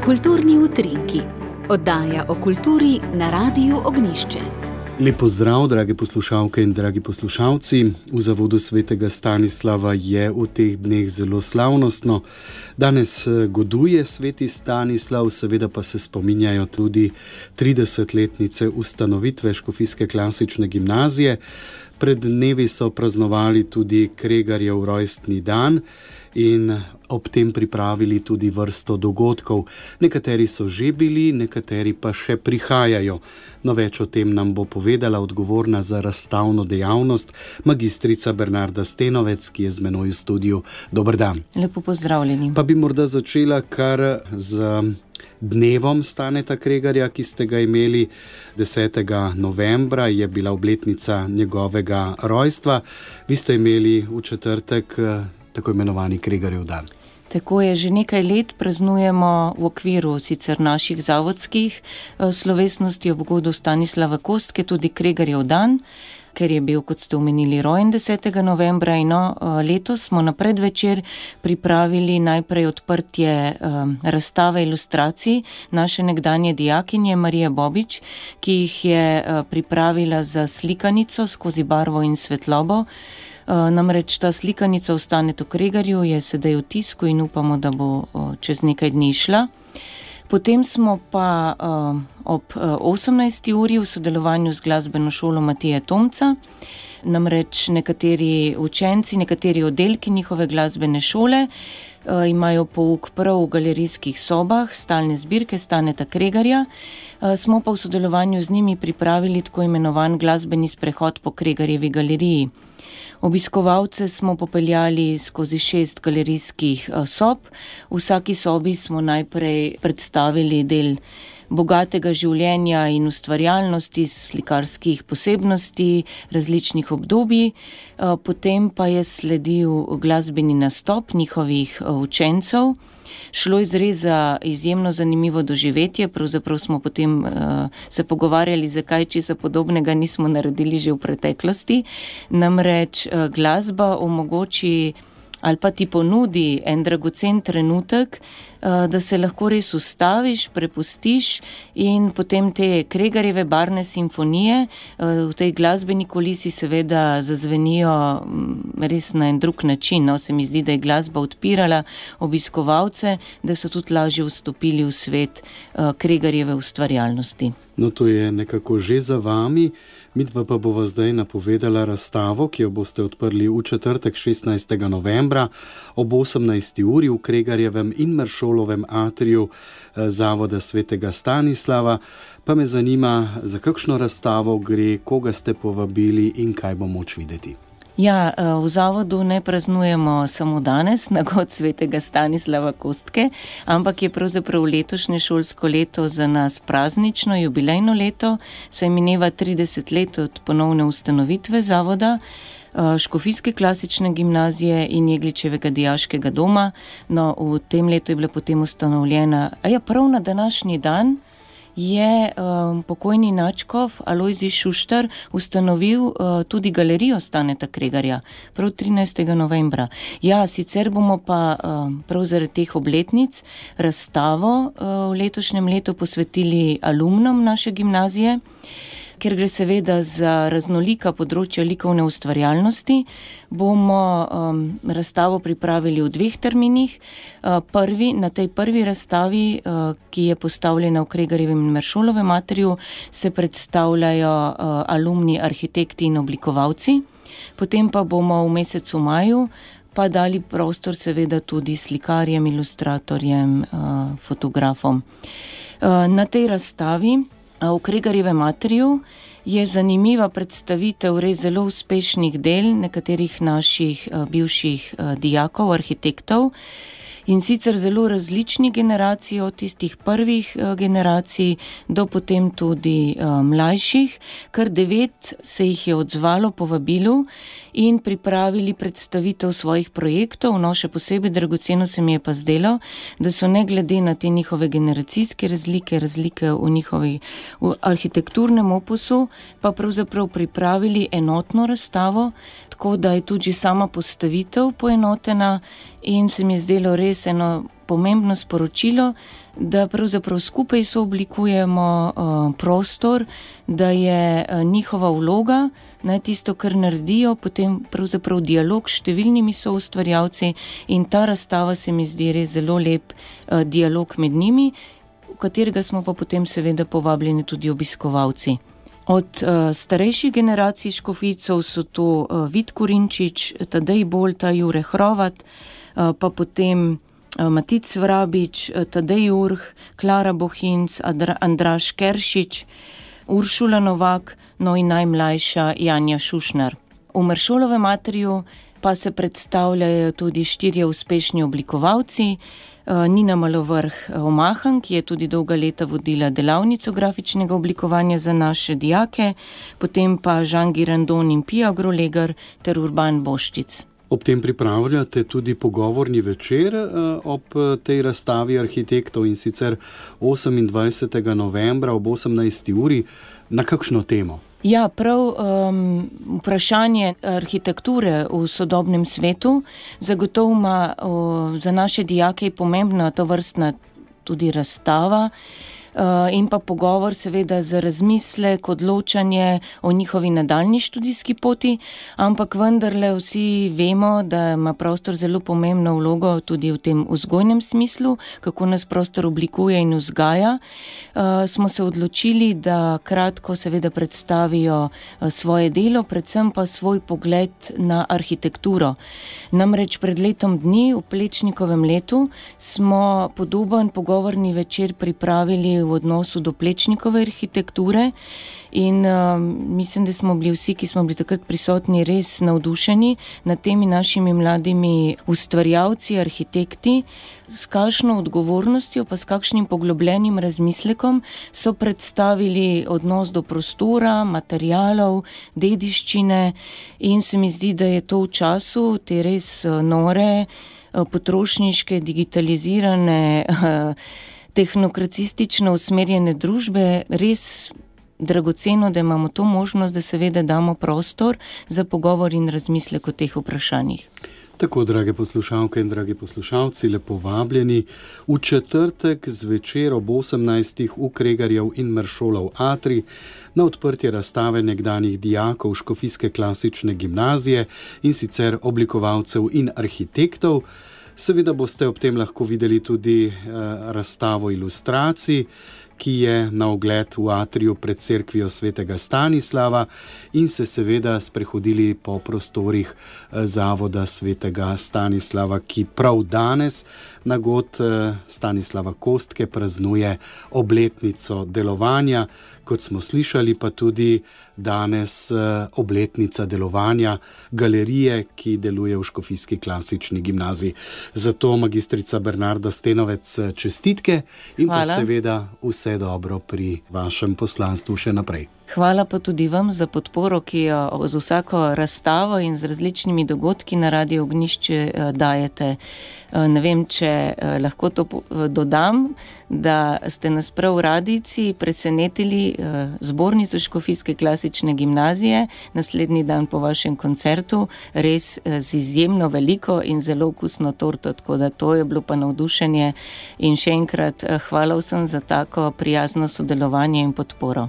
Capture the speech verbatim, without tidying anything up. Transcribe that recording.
Kulturni utrinki. Oddaja o kulturi na Radiu Ognjišče. Lep pozdrav, drage poslušalke in dragi poslušalci. V Zavodu svetega Stanislava je v teh dneh zelo slavnostno. Danes goduje sveti Stanislav, seveda pa se spominjajo tudi tridesetletnice ustanovitve Škofijske klasične gimnazije. Pred dnevi so praznovali tudi Kregarjev rojstni dan in ob tem pripravili tudi vrsto dogodkov. Nekateri so že bili, nekateri pa še prihajajo. No, več o tem nam bo povedala odgovorna za razstavno dejavnost magistrica Bernarda Stenovec, ki je z menoj v studiu. Dober dan. Lepo pozdravljeni. Pa bi morda začela kar z dnevom Staneta Kregarja, ki ste ga imeli desetega novembra, je bila obletnica njegovega rojstva. Vi ste imeli v četrtek tako imenovani Kregarjev dan. Tako je, že nekaj let praznujemo v okviru sicer naših zavodskih slovesnosti ob godu Stanislava Kostke tudi Kregarjev dan, ker je bil, kot ste omenili, rojen desetega novembra in no, letos smo na predvečer pripravili najprej odprtje um, razstave ilustracij naše nekdanje dijakinje Marije Bobič, ki jih je uh, pripravila za slikanico skozi barvo in svetlobo. Uh, namreč ta slikanica v Stanetu Kregarju je sedaj v tisku in upamo, da bo uh, čez nekaj dni šla. Potem smo pa uh, ob uh, osemnajsti uri v sodelovanju z glasbeno šolo Matije Tomca, namreč nekateri učenci, nekateri oddelki njihove glasbene šole uh, imajo pouk prav v galerijskih sobah stalne zbirke Staneta Kregarja, uh, smo pa v sodelovanju z njimi pripravili tako imenovan glasbeni sprehod po Kregarjevi galeriji. Obiskovalce smo popeljali skozi šest galerijskih sob. V vsaki sobi smo najprej predstavili del bogatega življenja in ustvarjalnosti, slikarskih posebnosti, različnih obdobij. Potem pa je sledil glasbeni nastop njihovih učencev. Šlo je res za izjemno zanimivo doživetje, pravzaprav smo potem uh, se pogovarjali, zakaj česa podobnega nismo naredili že v preteklosti. Namreč uh, glasba omogoči ali pa ti ponudi en dragocen trenutek, uh, da se lahko res ustaviš, prepustiš in potem te Kregarjeve barvne simfonije uh, v tej glasbeni kulisi seveda zazvenijo um, res na en drug način. No, se mi zdi, da je glasba odpirala obiskovalce, da so tudi lažje vstopili v svet uh, Kregarjeve ustvarjalnosti. No, to je nekako že za vami. Midva pa bova zdaj napovedala razstavo, ki jo boste odprli v četrtek šestnajstega novembra ob osemnajsti uri v Kregarjevem in Meršolovem atriju Zavoda svetega Stanislava. Pa me zanima, za kakšno razstavo gre, koga ste povabili in kaj bo moč videti. Ja, v zavodu ne praznujemo samo danes, na god svetega Stanislava Kostke, ampak je pravzaprav letošnje šolsko leto za nas praznično, jubilejno leto, saj mineva trideset let od ponovne ustanovitve zavoda Škofijske klasične gimnazije in Jegličevega dijaškega doma. No, v tem letu je bila potem ustanovljena, a ja, prav na današnji dan je um, pokojni nadškof Alojzij Šuštar ustanovil uh, tudi galerijo Staneta Kregarja, prav trinajstega novembra. Ja, sicer bomo pa um, prav zaradi teh obletnic razstavo uh, v letošnjem letu posvetili alumnom naše gimnazije, ker gre seveda za raznolika področja likovne ustvarjalnosti, bomo um, razstavo pripravili v dveh terminih. Uh, prvi, na tej prvi razstavi, uh, ki je postavljena v Kregarjevem in Meršolovem atriju, se predstavljajo uh, alumni, arhitekti in oblikovalci. Potem pa bomo v mesecu maju pa dali prostor seveda tudi slikarjem, ilustratorjem, uh, fotografom. Uh, na tej razstavi v Kregarjevem atriju je zanimiva predstavitev res zelo uspešnih del nekaterih naših uh, bivših uh, dijakov, arhitektov, in sicer zelo različnih generacij, od tistih prvih uh, generacij do potem tudi uh, mlajših. Kar devet se jih je odzvalo povabilu in pripravili predstavitev svojih projektov. No, še posebej dragoceno se mi je pa zdelo, da so ne glede na te njihove generacijske razlike, razlike v njihovi v arhitekturnem opusu, pa pravzaprav pripravili enotno razstavo, tako da je tudi sama postavitev poenotena in se mi je zdelo res res eno pomembno sporočilo, da pravzaprav skupaj sooblikujemo uh, prostor, da je uh, njihova vloga, ne, tisto, kar naredijo, potem pravzaprav dialog s številnimi soustvarjalci, in ta razstava se mi zdi res zelo lep uh, dialog med njimi, v katerega smo pa potem seveda povabljeni tudi obiskovalci. Od uh, starejših generacij škofijcev so to uh, Vid Kurinčič, Tadej Bolta, Jure Hrovat, uh, pa potem uh, Matic Vrabič, uh, Tadej Urh, Klara Bohinc, Adra, Andraž Keršič, Uršula Novak, no in najmlajša Janja Šušnar. V Meršolovem atriju pa se predstavljajo tudi štirje uspešni oblikovalci, Nina Malovrh Omahan, ki je tudi dolga leta vodila delavnico grafičnega oblikovanja za naše dijake, potem pa Žan Girandon in Pija Grolegar ter Urban Boščic. Ob tem pripravljate tudi pogovorni večer ob tej razstavi arhitektov, in sicer osemindvajsetega novembra ob osemnajsti uri. Na kakšno temo? Ja, prav um, vprašanje arhitekture v sodobnem svetu zagotovo ima uh, za naše dijake pomembna tovrstna tudi razstava uh, in pa pogovor seveda za razmislek, odločanje o njihovi nadaljnji študijski poti, ampak vendarle vsi vemo, da ima prostor zelo pomembno vlogo tudi v tem vzgojnem smislu, kako nas prostor oblikuje in vzgaja. Uh, smo se odločili, da kratko seveda predstavijo uh, svoje delo, predvsem pa svoj pogled na arhitekturo. Namreč pred letom dni, v Plečnikovem letu, smo podoben pogovorni večer pripravili v odnosu do Plečnikove arhitekture in uh, mislim, da smo bili vsi, ki smo bili takrat prisotni, res navdušeni nad temi našimi mladimi ustvarjalci, arhitekti, s kakšno odgovornostjo pa s kakšnim poglobljenim razmislekom so predstavili odnos do prostora, materialov, dediščine, in se mi zdi, da je to v času te res nore, potrošniške, digitalizirane, tehnokracistično usmerjene družbe res dragoceno, da imamo to možnost, da seveda damo prostor za pogovor in razmislek o teh vprašanjih. Tako, drage poslušalke in dragi poslušalci, lepo vabljeni v četrtek zvečer ob osemnajstih v Kregarjev in Meršolov atrij na odprtje razstave nekdanjih dijakov Škofijske klasične gimnazije, in sicer oblikovalcev in arhitektov. Seveda boste ob tem lahko videli tudi eh, razstavo ilustracij, ki je na ogled v atriju pred cerkvijo svetega Stanislava, in se seveda sprehodili po prostorih zavoda svetega Stanislava, ki prav danes na god Stanislava Kostke praznuje obletnico delovanja, kot smo slišali, pa tudi danes obletnica delovanja galerije, ki deluje v Škofijski klasični gimnaziji. Zato magistrica Bernarda Stenovec, čestitke in pa seveda vse dobro pri vašem poslanstvu še naprej. Hvala pa tudi vam za podporo, ki jo z vsako razstavo in z različnimi dogodki na Radiu Ognjišče dajete. Ne vem, če lahko to dodam, da ste nas prav v radijci presenetili zbornico Škofijske klasične gimnazije naslednji dan po vašem koncertu, res z izjemno veliko in zelo okusno torto, tako da to je bilo pa navdušenje in še enkrat hvala vsem za tako prijazno sodelovanje in podporo.